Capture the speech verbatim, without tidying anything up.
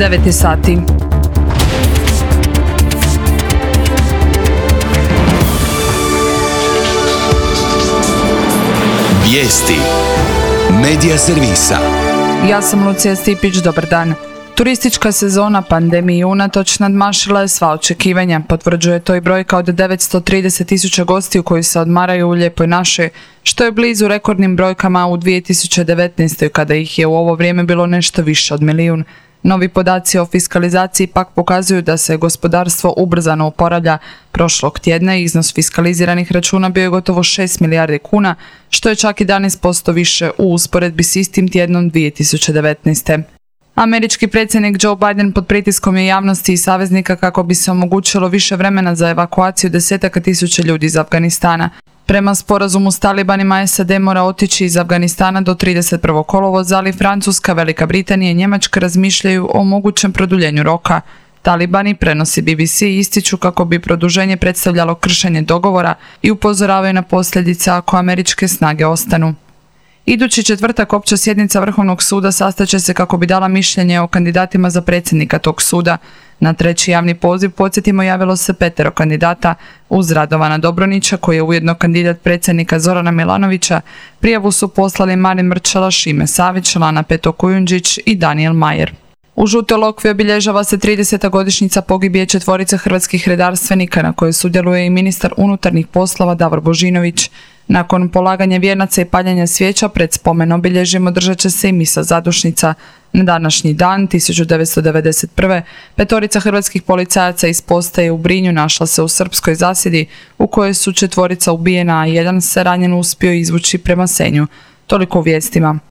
devet je sati. Vijesti Medija servisa. Ja sam Lucija Stipić, dobar dan. Turistička sezona pandemiji unatoč nadmašila je sva očekivanja. Potvrđuje to i brojka od devetsto trideset tisuća gostiju koji se odmaraju u Lijepoj našoj, što je blizu rekordnim brojkama u dvije tisuće devetnaestoj kada ih je u ovo vrijeme bilo nešto više od milijun. Novi podaci o fiskalizaciji pak pokazuju da se gospodarstvo ubrzano oporavlja. Prošlog tjedna iznos fiskaliziranih računa bio je gotovo šest milijardi kuna, što je čak jedanaest posto više u usporedbi s istim tjednom dvije tisuće devetnaeste. Američki predsjednik Joe Biden pod pritiskom je javnosti i saveznika kako bi se omogućilo više vremena za evakuaciju desetaka tisuća ljudi iz Afganistana. Prema sporazumu s talibanima S A D mora otići iz Afganistana do trideset prvog kolovoza, ali Francuska, Velika Britanija i Njemačka razmišljaju o mogućem produljenju roka. Talibani, prenosi B B C, ističu kako bi produženje predstavljalo kršenje dogovora i upozoravaju na posljedice ako američke snage ostanu. Idući četvrtak opća sjednica Vrhovnog suda sastaće se kako bi dala mišljenje o kandidatima za predsjednika tog suda. Na treći javni poziv, podsjetimo, javilo se petero kandidata uz Radovana Dobronića, koji je ujedno kandidat predsjednika Zorana Milanovića. Prijavu su poslali Marin Mrčela, Šime Savić, Lana Peto Kujundžić i Daniel Majer. U Žutoj Lokvi obilježava se trideseta godišnjica pogibije četvorice hrvatskih redarstvenika na kojoj sudjeluje i ministar unutarnjih poslova Davor Božinović. Nakon polaganja vijenaca i paljenja svijeća pred spomen obilježjem održat će se i misa zadušnica. Na današnji dan, tisuću devetsto devedeset prve. petorica hrvatskih policajaca iz postaje u Brinju našla se u srpskoj zasjedi u kojoj su četvorica ubijena, a jedan se ranjen uspio izvući prema Senju. Toliko u vijestima.